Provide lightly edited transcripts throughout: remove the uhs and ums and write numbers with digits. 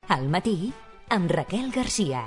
Al matí, amb Raquel Garcia.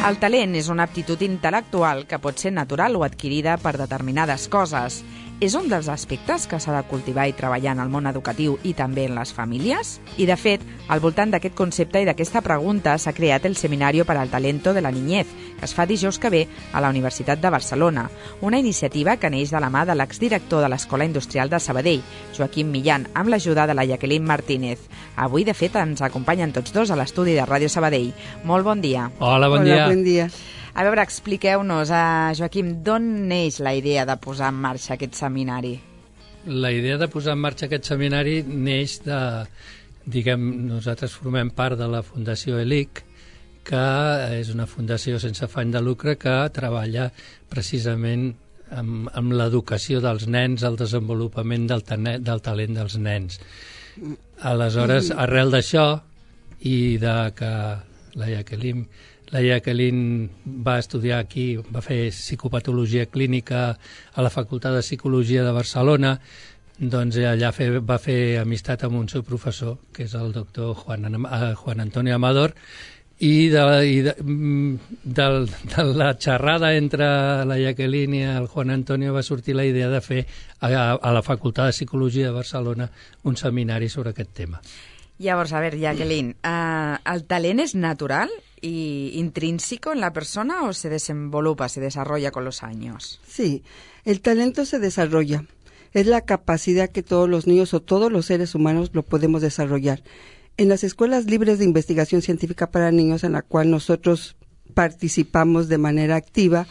El talent és una aptitud intel·lectual que pot ser natural o adquirida per determinades coses. És un dels aspectes que s'ha de cultivar i treballar en el món educatiu i també en les famílies? I, de fet, al voltant d'aquest concepte i d'aquesta pregunta s'ha creat el Seminario para el Talento de la Niñez, que es fa dijous que ve a la Universitat de Barcelona, una iniciativa que neix de la mà de l'exdirector de l'Escola Industrial de Sabadell, Joaquim Millán, amb l'ajuda de la Jacqueline Martínez. Avui, de fet, ens acompanyen tots dos a l'estudi de Ràdio Sabadell. Molt bon dia. Hola, bon dia. Bon dia. A veure, expliqueu-nos, Joaquim, d'on neix la idea de posar en marxa aquest seminari? La idea de posar en marxa aquest seminari neix de, nosaltres formem part de la Fundació ELIC, que és una fundació sense afany de lucre que treballa precisament amb l'educació dels nens, el desenvolupament del talent dels nens. Aleshores, arrel d'això i de que la Jacqueline va estudiar aquí, va fer psicopatologia clínica a la Facultat de Psicologia de Barcelona, doncs allà va fer amistat amb un seu professor, que és el doctor Juan Antonio Amador, i de la xerrada entre la Jacqueline i el Juan Antonio va sortir la idea de fer a la Facultat de Psicologia de Barcelona un seminari sobre aquest tema. Llavors, a ver, Jacqueline, ¿el talent es natural y intrínseco en la persona o se desenvolupa, se desarrolla con los años? Sí, el talento se desarrolla. Es la capacidad que todos los niños o todos los seres humanos lo podemos desarrollar. En las escuelas libres de investigación científica para niños, en la cual nosotros participamos de manera activa,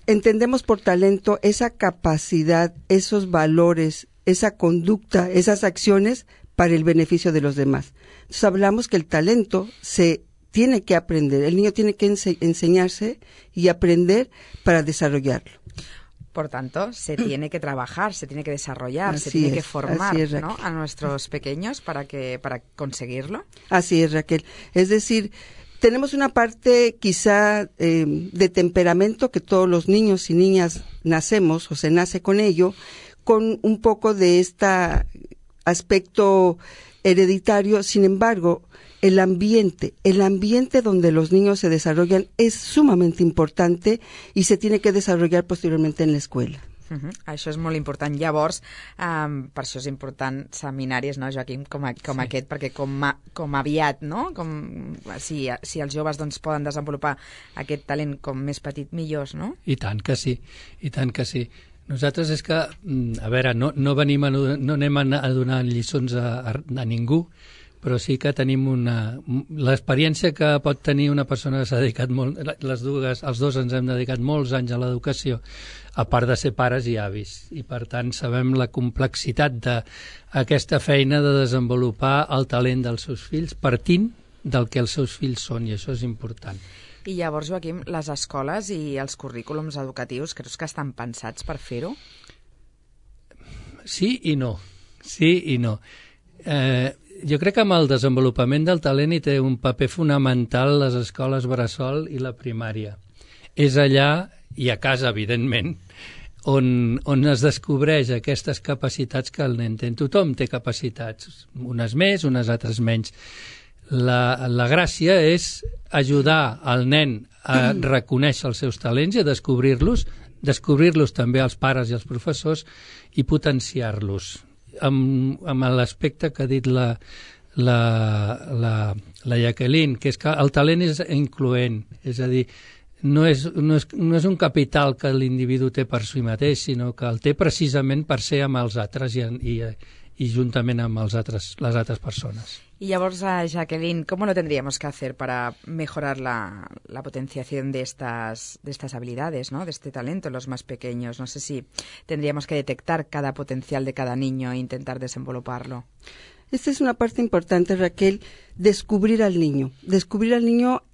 entendemos por talento esa capacidad, esos valores, esa conducta, esas acciones para el beneficio de los demás. Entonces hablamos que el talento se tiene que aprender, el niño tiene que enseñarse y aprender para desarrollarlo. Por tanto, se tiene que trabajar, se tiene que desarrollar, se Así tiene es, que formar, así es, ¿no?, a nuestros pequeños para conseguirlo. Así es, Raquel. Es decir, tenemos una parte quizá de temperamento que todos los niños y niñas nacemos o se nace con ello, con un poco de este aspecto hereditario. Sin embargo, el ambiente donde los niños se desarrollan es sumamente importante i se tiene que desarrollar posteriormente en la escuela. Això és molt important. Llavors, per això és important seminaris, no, Joaquim, com aquest, perquè com aviat, no? Si els joves doncs, poden desenvolupar aquest talent com més petit, millors, no? I tant que sí, i tant que sí. Nosaltres és que, a veure, no anem a donar lliçons a ningú, però sí que tenim l'experiència que pot tenir una persona que s'ha dedicat molt, els dos ens hem dedicat molts anys a l'educació, a part de ser pares i avis, i per tant sabem la complexitat d'aquesta feina de desenvolupar el talent dels seus fills partint del que els seus fills són, i això és important. I llavors, Joaquim, les escoles i els currículums educatius creus que estan pensats per fer-ho? Sí i no. Sí i no. Jo crec que amb el desenvolupament del talent hi té un paper fonamental les escoles bressol i la primària. És allà, i a casa, evidentment, on es descobreix aquestes capacitats que el nen té. Tothom té capacitats, unes més, unes altres menys. La gràcia és ajudar el nen a reconèixer els seus talents i a descobrir-los també als pares i als professors i potenciar-los amb l'aspecte que ha dit la Jacqueline, que és que el talent és incloent, és a dir, no és un capital que l'individu té per si mateix, sinó que el té precisament per ser amb els altres y juntament amb les altres persones. Y llavors, Jacqueline, ¿cómo lo tendríamos que hacer para mejorar la potenciación de estas habilidades, ¿no?, de este talento en los más pequeños? No sé si tendríamos que detectar cada potencial de cada niño e intentar desenvoluparlo. Esta es una parte importante, Raquel, descubrir al niño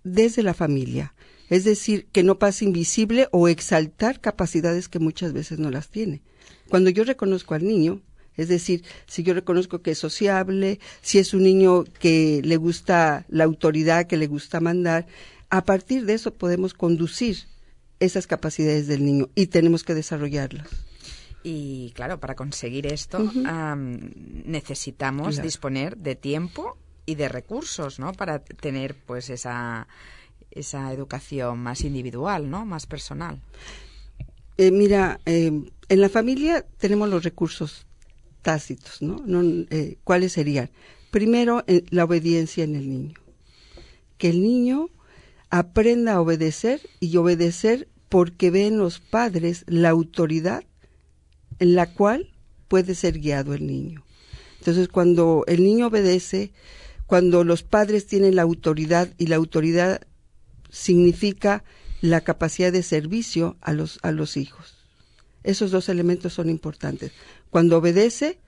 desde la familia. Es decir, que no pase invisible o exaltar capacidades que muchas veces no las tiene. Cuando yo reconozco al niño, es decir, si yo reconozco que es sociable, si es un niño que le gusta la autoridad, que le gusta mandar, a partir de eso podemos conducir esas capacidades del niño y tenemos que desarrollarlas. Y claro, para conseguir esto necesitamos disponer de tiempo y de recursos, ¿no? Para tener pues esa educación más individual, ¿no? Más personal. Mira, en la familia tenemos los recursos tácitos, ¿no? ¿Cuáles serían? Primero, la obediencia en el niño. Que el niño aprenda a obedecer y obedecer porque ve en los padres la autoridad en la cual puede ser guiado el niño. Entonces, cuando el niño obedece, cuando los padres tienen la autoridad, y la autoridad significa la capacidad de servicio a los hijos. Esos dos elementos son importantes. Cuando obedece,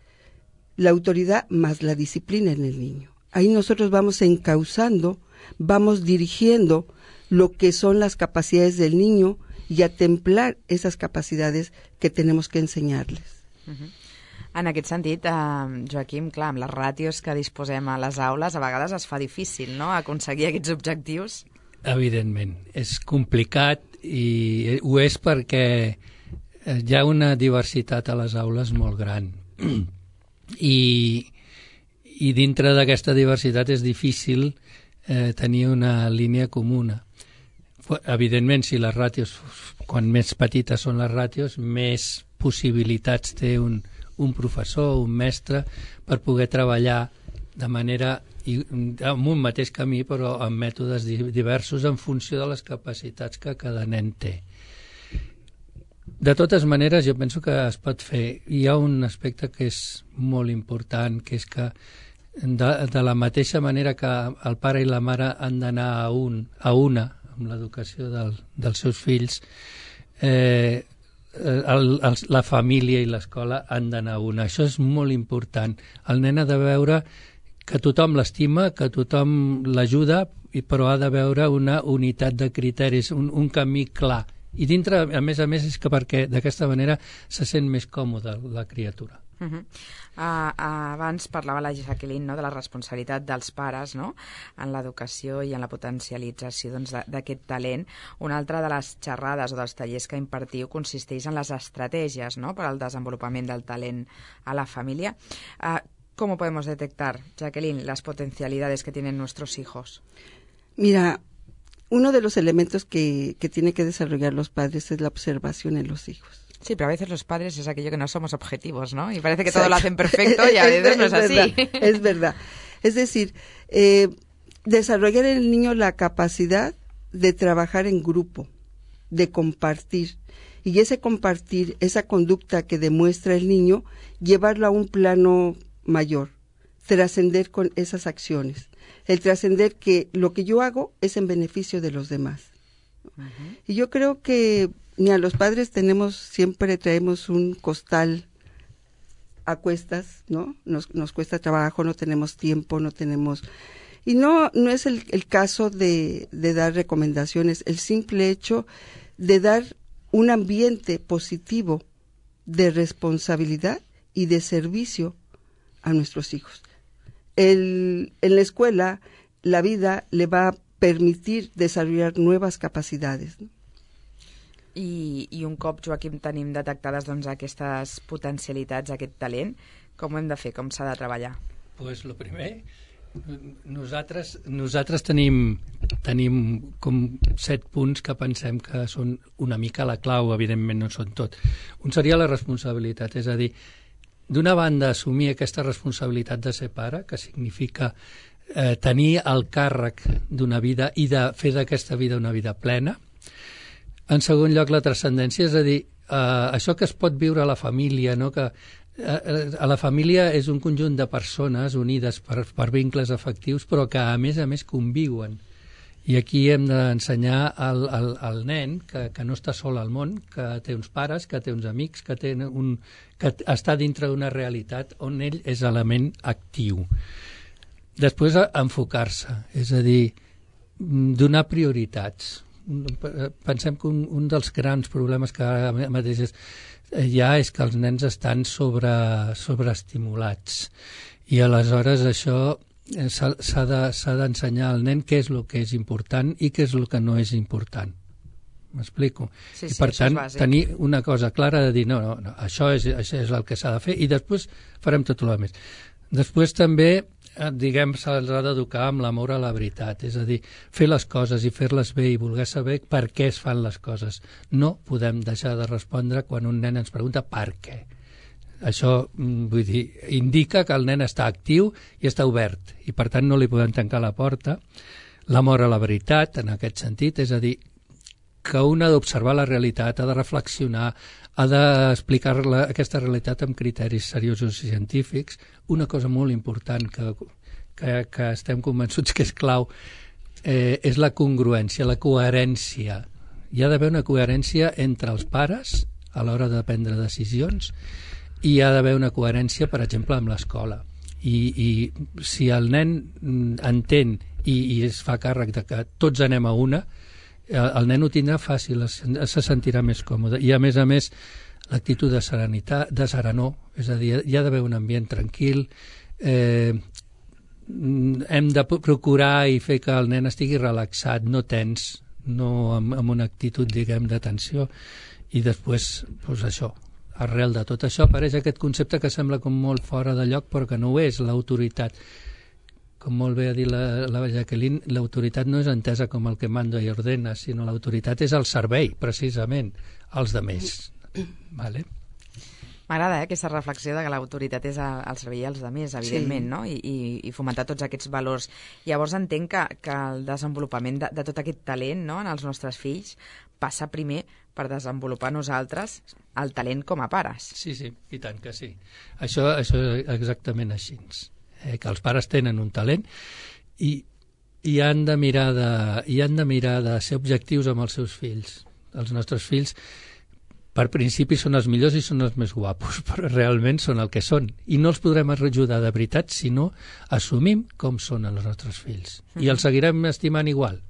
la autoridad más la disciplina en el niño. Ahí nosotros vamos encauzando, vamos dirigiendo lo que son las capacidades del niño i a templar esas capacitats que tenemos que ensenyar-les. En aquest sentit, Joaquim, clar, amb les ràtios que disposem a les aules, a vegades es fa difícil, no?, aconseguir aquests objectius. Evidentment, és complicat i ho és perquè hi ha una diversitat a les aules molt gran. I dintre d'aquesta diversitat és difícil tenir una línia comuna. Evidentment, si les ràtios, quan més petites són les ràtios, més possibilitats té un professor o un mestre per poder treballar de manera amb un mateix camí, però amb mètodes diversos en funció de les capacitats que cada nen té. De totes maneres, jo penso que es pot fer. Hi ha un aspecte que és molt important, que és que de la mateixa manera que el pare i la mare han d'anar a una amb l'educació dels seus fills, la família i l'escola han d'anar a una. Això és molt important. El nen ha de veure que tothom l'estima, que tothom l'ajuda, però ha de veure una unitat de criteris, un camí clar. I dintre, a més, és que perquè d'aquesta manera se sent més còmoda la criatura. Abans parlava la Jacqueline, no?, de la responsabilitat dels pares, no?, en l'educació i en la potencialització d'aquest talent. Una altra de les xerrades o dels tallers que impartiu consisteix en les estratègies, no?, per al desenvolupament del talent a la família. ¿Cómo podemos detectar, Jacqueline, las potencialidades que tienen nuestros hijos? Mira, uno de los elementos que tienen que desarrollar los padres es la observación en los hijos. Sí, pero a veces los padres es aquello que no somos objetivos, ¿no? Y parece que todo lo hacen perfecto y a veces no es así. Es verdad. Es decir, desarrollar en el niño la capacidad de trabajar en grupo, de compartir. Y ese compartir, esa conducta que demuestra el niño, llevarlo a un plano mayor, trascender con esas acciones. El trascender que lo que yo hago es en beneficio de los demás. Y yo creo que los padres siempre traemos un costal a cuestas, ¿no? Nos cuesta trabajo, no tenemos tiempo, no tenemos... Y no es el caso de dar recomendaciones, el simple hecho de dar un ambiente positivo de responsabilidad y de servicio a nuestros hijos. En la escuela, la vida le va a permitir desarrollar nuevas capacidades, ¿no? I un cop, Joaquim, tenim detectades aquestes potencialitats, aquest talent, com ho hem de fer, com s'ha de treballar? Pues lo primer, nosaltres tenim com 7 punts que pensem que són una mica la clau, evidentment no són tot. Un seria la responsabilitat, és a dir, d'una banda assumir aquesta responsabilitat de ser pare, que significa tenir el càrrec d'una vida i de fer d'aquesta vida una vida plena. En segon lloc, la transcendència, és a dir, això que es pot viure a la família, no? Que a la família és un conjunt de persones unides per vincles afectius, però que a més conviuen. I aquí hem d'ensenyar al nen que no està sol al món, que té uns pares, que té uns amics, que està dintre d'una realitat on ell és element actiu. Després, enfocar-se, és a dir, donar prioritats. Pensem que un dels grans problemes que ara mateix hi ha és que els nens estan sobreestimulats i aleshores això s'ha d'ensenyar al nen què és el que és important i què és el que no és important. M'explico? Sí, I per tant, tenir una cosa clara de dir no, això és el que s'ha de fer i després farem tot el més. Després també, diguem, se'ls ha d'educar amb l'amor a la veritat, és a dir, fer les coses i fer-les bé i voler saber per què es fan les coses. No podem deixar de respondre quan un nen ens pregunta per què. Això, vull dir, indica que el nen està actiu i està obert i per tant no li podem tancar la porta. L'amor a la veritat, en aquest sentit, és a dir, que un ha d'observar la realitat, ha de reflexionar, ha d'explicar aquesta realitat amb criteris seriosos i científics. Una cosa molt important que estem convençuts que és clau és la congruència, la coherència. Hi ha d'haver una coherència entre els pares a l'hora de prendre decisions i hi ha d'haver una coherència, per exemple, amb l'escola. I si el nen entén i es fa càrrec de que tots anem a una, el nen ho tindrà fàcil, se sentirà més còmode. I, a més, l'actitud de serenitat, de serenor, és a dir, hi ha d'haver un ambient tranquil, hem de procurar i fer que el nen estigui relaxat, no tens, no amb una actitud, diguem, de tensió. I després, doncs això, arrel de tot això apareix aquest concepte que sembla com molt fora de lloc, però que no ho és, l'autoritat. Com molt bé ha dit la Jacqueline, l'autoritat no és entesa com el que manda i ordena, sinó l'autoritat és el servei, precisament, als demés. Vale? M'agrada aquesta reflexió de que l'autoritat és el servei als demés, evidentment, sí. No? I fomentar tots aquests valors. Llavors entenc que el desenvolupament de tot aquest talent, no?, en els nostres fills passa primer per desenvolupar nosaltres el talent com a pares. Sí, i tant que sí. Això és exactament així. Que els pares tenen un talent i han de mirar de ser objectius amb els seus fills. Els nostres fills, per principi, són els millors i són els més guapos, però realment són el que són. I no els podrem ajudar de veritat si no assumim com són els nostres fills. I els seguirem estimant igual.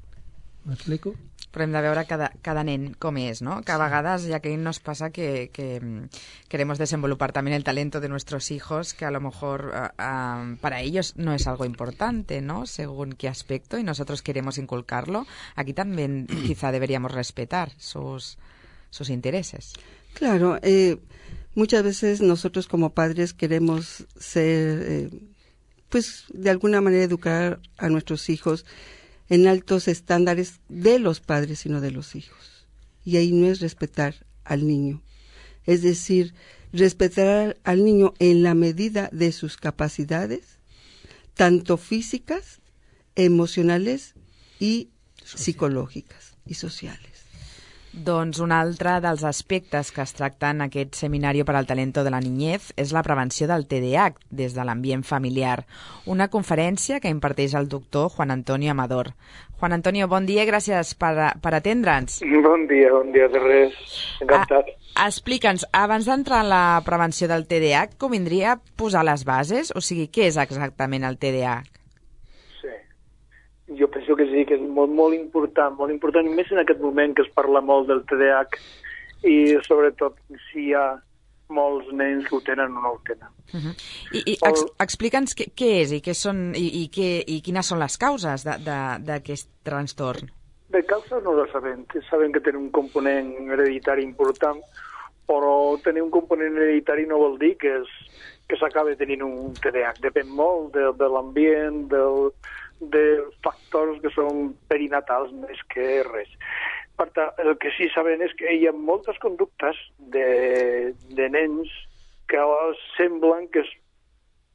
M'explico? Però hem de veure cada nen com és, ¿no? Que a vegades, ya que nos pasa que queremos desenvolupar también el talento de nuestros hijos, que a lo mejor para ellos no es algo importante, ¿no? Según qué aspecto, y nosotros queremos inculcarlo. Aquí también quizá deberíamos respetar sus intereses. Claro, muchas veces nosotros como padres queremos ser, pues de alguna manera educar a nuestros hijos en altos estándares de los padres, sino de los hijos. Y ahí no es respetar al niño. Es decir, respetar al niño en la medida de sus capacidades, tanto físicas, emocionales y psicològiques i socials. Doncs un altre dels aspectes que es tracta en aquest seminari per al talento de la niñez és la prevenció del TDAH des de l'ambient familiar. Una conferència que imparteix el doctor Juan Antonio Amador. Juan Antonio, bon dia i gràcies per atendre'ns. Bon dia de res. Encantat. Explica'ns, abans d'entrar en la prevenció del TDAH, convindria posar les bases? O sigui, què és exactament el TDAH? Jo penso que sí, que és molt important, i més en aquest moment que es parla molt del TDAH i sobretot si hi ha molts nens que ho tenen o no ho tenen. I explica'ns què és i quines són les causes d'aquest trastorn. De causes no ho sabem. Sabem que tenen un component hereditari important, però tenir un component hereditari no vol dir que s'acabi tenint un TDAH. Depèn molt de l'ambient, de factors que són perinatals més que res. Per tant, el que sí sabem és que hi ha moltes conductes de nens que semblen que és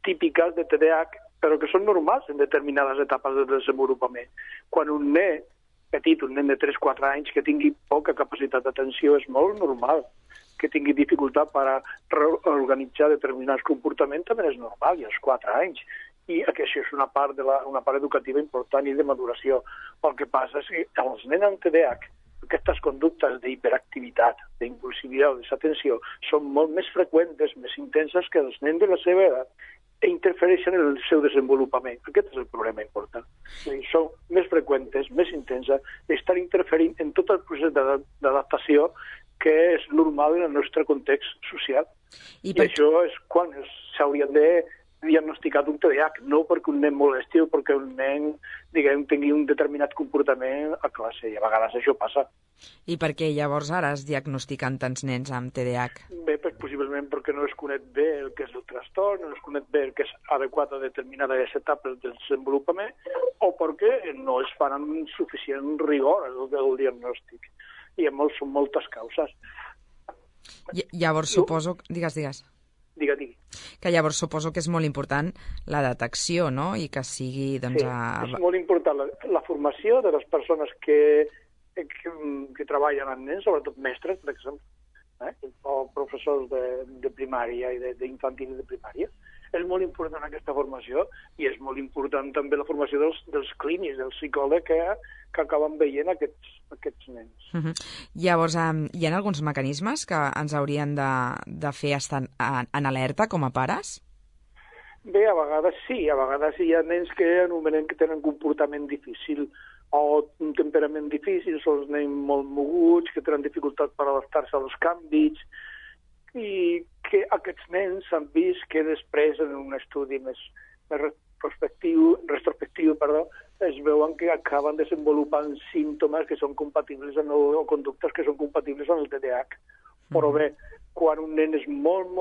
típiques de TDAH, però que són normals en determinades etapes de desenvolupament. Quan un nen petit, un nen de 3-4 anys, que tingui poca capacitat d'atenció, és molt normal. Que tingui dificultat per reorganitzar determinats comportaments també és normal, i als 4 anys. I això és una part educativa important i de maduració. El que passa és que els nens amb TDAH, aquestes conductes d'hiperactivitat, d'impulsivitat, de desatenció, són molt més freqüents, més intenses que els nens de la seva edat i interfereixen en el seu desenvolupament. Aquest és el problema important. Són més freqüents, més intenses, i estan interferint en tot el procés d'adaptació que és normal en el nostre context social. I això és quan s'haurien de diagnosticat un TDAH, no perquè un nen molesti o perquè un nen, diguem, tingui un determinat comportament a classe, i a vegades això passa. I per què llavors ara es diagnostiquen tants nens amb TDAH? Bé, pues, possiblement perquè no es coneix bé el que és el trastorn, no es coneix bé el que és adequat a determinades etapes del desenvolupament, o perquè no es fan amb suficient rigor el diagnòstic. I són moltes causes. Llavors suposo... Digues. Digui. Que llavors suposo que és molt important la detecció, no? I que sigui, doncs... Sí, és molt important la formació de les persones que treballen amb nens, sobretot mestres, per exemple, o professors de primària i d'infantil i de primària. És molt important aquesta formació i és molt important també la formació dels clínics, dels psicòlegs que acaben veient aquests nens. Llavors, hi ha alguns mecanismes que ens haurien de fer estar en alerta com a pares? Bé, a vegades sí. A vegades hi ha nens que anomenen que tenen comportament difícil o un temperament difícil, són nens molt moguts, que tenen dificultat per adaptar-se als canvis, i que aquests nens s'han vist que després, en un estudi més retrospectiu, es veuen que acaben desenvolupant símptomes que són compatibles o conductes que són compatibles amb el TDAH. Però bé, quan un nen és molt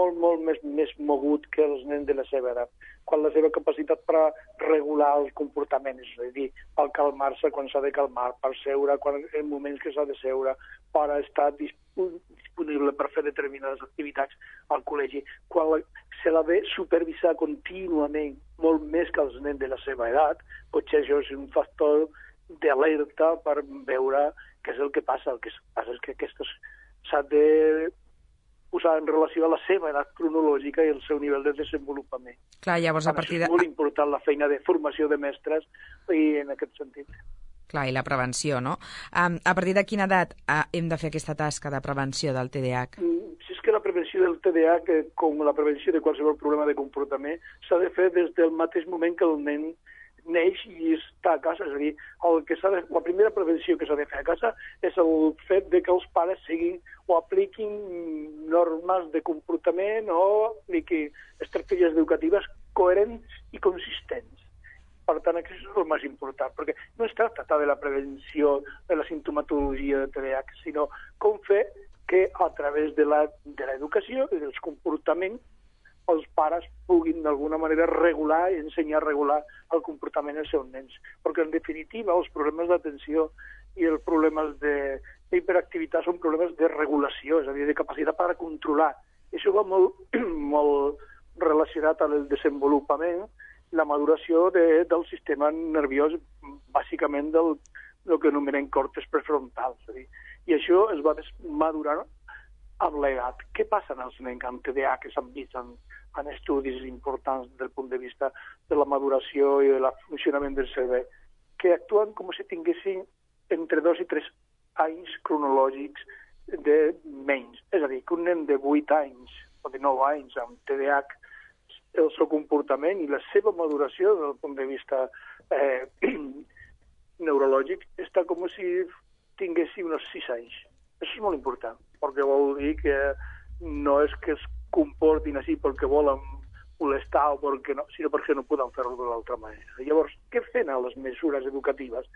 més mogut que els nens de la seva edat, quan la seva capacitat per regular el comportament, és a dir, per calmar-se quan s'ha de calmar, per seure en moments que s'ha de seure, per estar disponible per fer determinades activitats al col·legi, quan se l'ha de supervisar contínuament, molt més que els nens de la seva edat, potser això és un factor d'alerta per veure què és el que passa. El que passa és que aquestes s'ha de posar en relació a la seva edat cronològica i el seu nivell de desenvolupament. Clar, llavors a partir de... És molt important la feina de formació de mestres i en aquest sentit. Clar, i la prevenció, no? A partir de quina edat hem de fer aquesta tasca de prevenció del TDAH? Si és que la prevenció del TDAH, com la prevenció de qualsevol problema de comportament, s'ha de fer des del mateix moment que el nen neix i està a casa. És a dir, la primera prevenció que s'ha de fer a casa és el fet de que els pares siguin o apliquin normes de comportament o apliquin estratègies educatives coherents i consistents. Per tant, això és el més important, perquè no es tracta de la prevenció de la simptomatologia de TDAH, sinó com fer que a través de l'educació i dels comportaments els pares puguin d'alguna manera regular i ensenyar a regular el comportament dels seus nens. Perquè, en definitiva, els problemes d'atenció i els problemes d'hiperactivitat són problemes de regulació, és a dir, de capacitat per controlar. I això va molt relacionat amb el desenvolupament, la maduració del sistema nerviós, bàsicament del que anomenem còrtex prefrontal. I això es va madurar amb l'edat. Què passa en els nens amb TDAH que s'han vist en estudis importants des del punt de vista de la maduració i del funcionament del cervell? Que actuen com si tinguessin entre 2 i 3 anys cronològics de menys. És a dir, que un nen de 8 anys o de 9 anys amb TDAH, el seu comportament i la seva maduració des del punt de vista neurològic està com si tinguessin uns 6 anys. Això és molt important, perquè vol dir que no és que es comportin així perquè volen molestar o perquè no, sinó perquè no poden fer-ho d'una altra manera. Llavors, què fan a les mesures educatives?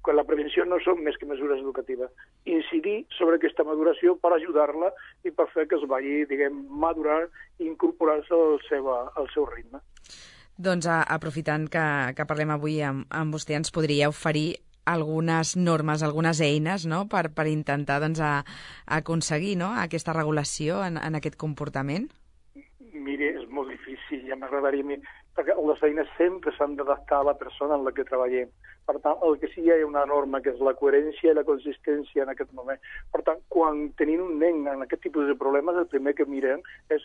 Quan la prevenció no són més que mesures educatives. Incidir sobre aquesta maduració per ajudar-la i per fer que es vagi, diguem, madurar i incorporar-se al seu ritme. Doncs aprofitant que parlem avui amb vostè, ens podria oferir algunes normes, algunes eines, no?, per intentar doncs, aconseguir, no?, aquesta regulació en aquest comportament? Mire, és molt difícil, ja m'agradaria... perquè les eines sempre s'han d'adaptar a la persona en la que treballem. Per tant, el que sí hi ha una norma, que és la coherència i la consistència en aquest moment. Per tant, quan tenim un nen en aquest tipus de problemes, el primer que mirem és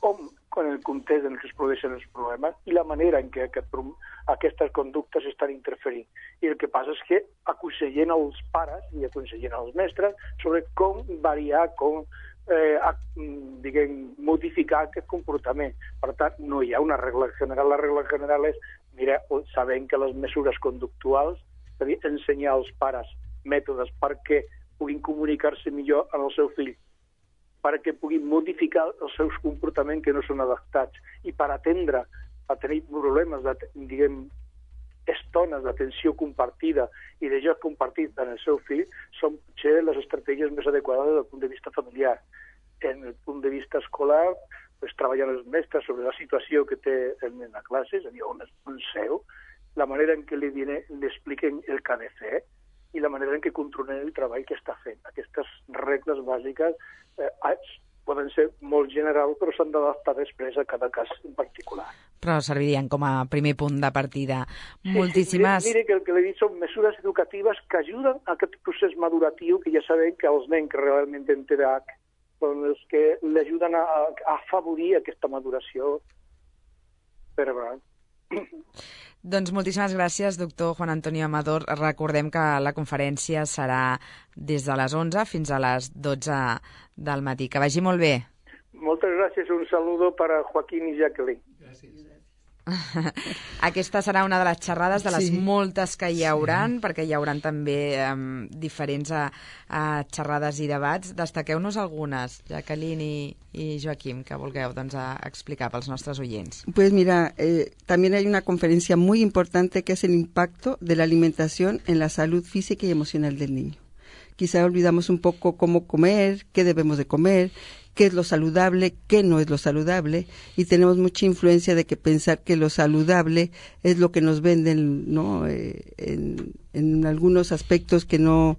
com en el context en què es produeixen els problemes i la manera en què aquestes conductes estan interferint. I el que passa és que aconsellen els pares i aconsellen els mestres sobre com variar, com modificar aquest comportament. Per tant, no hi ha una regla general. La regla general és, mira, sabem que les mesures conductuals, és a dir, ensenyar als pares mètodes perquè puguin comunicar-se millor amb el seu fill perquè puguin modificar els seus comportaments que no són adaptats i per atendre a tenir problemes, estones d'atenció compartida i de joc compartit en el seu fill són potser les estratègies més adequades des del punt de vista familiar. En el punt de vista escolar, treballant els mestres sobre la situació que té el nen a classe, és a dir, on seu, la manera en què li expliquen el que ha de fer i la manera en què controlen el treball que està fent. Aquestes regles bàsiques poden ser molt generals, però s'han d'adaptar després a cada cas en particular. Però servirien com a primer punt de partida. Moltíssimes... Mire que el que li he dit són mesures educatives que ajuden a aquest procés maduratiu, que ja sabem que els nens que realment tenen TDAH són els que l'ajuden a afavorir aquesta maduració cerebral. Doncs moltíssimes gràcies, doctor Juan Antonio Amador. Recordem que la conferència serà des de les 11 fins a les 12 del matí. Que vagi molt bé. Moltes gràcies. Un saludo para Joaquín i Jacqueline. Gràcies. Aquesta serà una de les xerrades de les moltes que hi hauran, perquè hi hauran també diferents xerrades i debats. Destaqueu-nos algunes, Jacqueline y Joaquim, que vulgueu explicar pels nostres oyents. Pues mira, también hay una conferencia muy importante que es el impacto de la alimentación en la salud física y emocional del niño. Quizá olvidamos un poco cómo comer, qué debemos de comer, qué es lo saludable, qué no es lo saludable, y tenemos mucha influencia de que pensar que lo saludable es lo que nos venden, ¿no? En algunos aspectos que no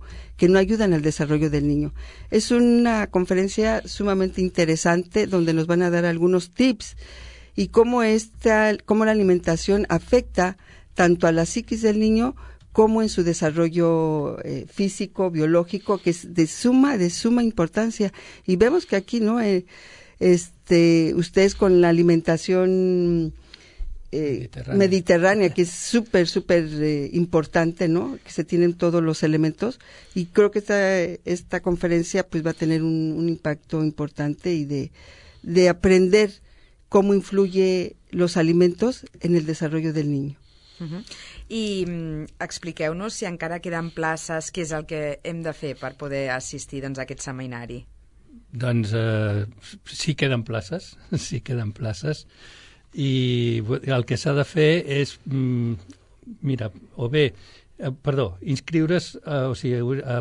ayudan al desarrollo del niño. Es una conferencia sumamente interesante donde nos van a dar algunos tips y cómo la alimentación afecta tanto a la psiquis del niño como en su desarrollo físico, biológico, que es de suma importancia. Y vemos que aquí, ¿no? Ustedes con la alimentación mediterránea, que es súper importante, ¿no? Que se tienen todos los elementos. Y creo que esta conferencia pues va a tener un impacto importante y de aprender cómo influye los alimentos en el desarrollo del niño. I expliqueu-nos si encara queden places, què és el que hem de fer per poder assistir a aquest seminari. Doncs sí queden places, i el que s'ha de fer és inscriure's a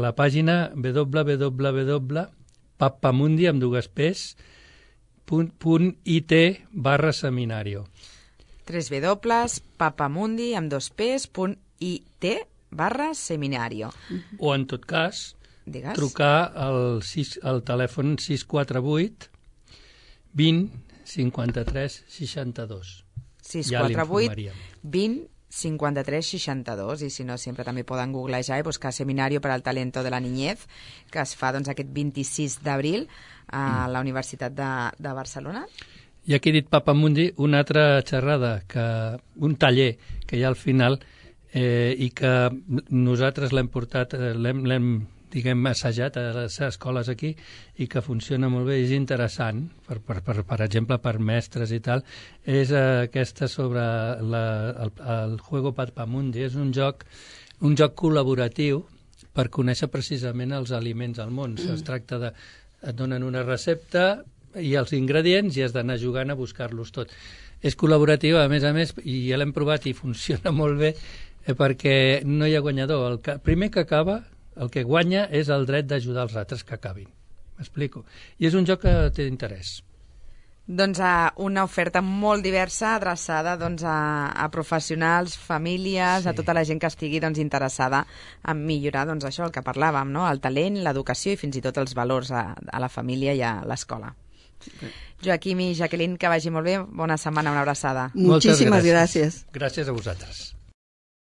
la pàgina www.papamundi.it/seminario www.papamundi.it/seminario. O, en tot cas, trucar al telèfon 648 20 53 62. 648 20 53 62, i si no sempre també poden googlejar i buscar Seminario para el Talento de la Niñez, que es fa aquest 26 d'abril a la Universitat de Barcelona. I aquí he dit Papamundi, una altra xerrada, un taller que hi ha al final i que nosaltres l'hem portat, l'hem assajat a les escoles aquí i que funciona molt bé, és interessant, per exemple, per mestres i tal, és aquesta sobre el Juego Papamundi. És un joc col·laboratiu per conèixer precisament els aliments al món. Es tracta de... et donen una recepta i els ingredients i has d'anar jugant a buscar-los tot. És col·laboratiu, a més, i ja l'hem provat i funciona molt bé perquè no hi ha guanyador. El primer que acaba, el que guanya és el dret d'ajudar els altres que acabin. M'explico. I és un joc que té interès. Doncs una oferta molt diversa, adreçada a professionals, famílies, a tota la gent que estigui interessada en millorar això, el que parlàvem, no? El talent, l'educació i fins i tot els valors a la família i a l'escola. Joaquim i Jacqueline, que vagi molt bé. Bona setmana, una abraçada. Muchísimas gracias. Gràcies a vosaltres.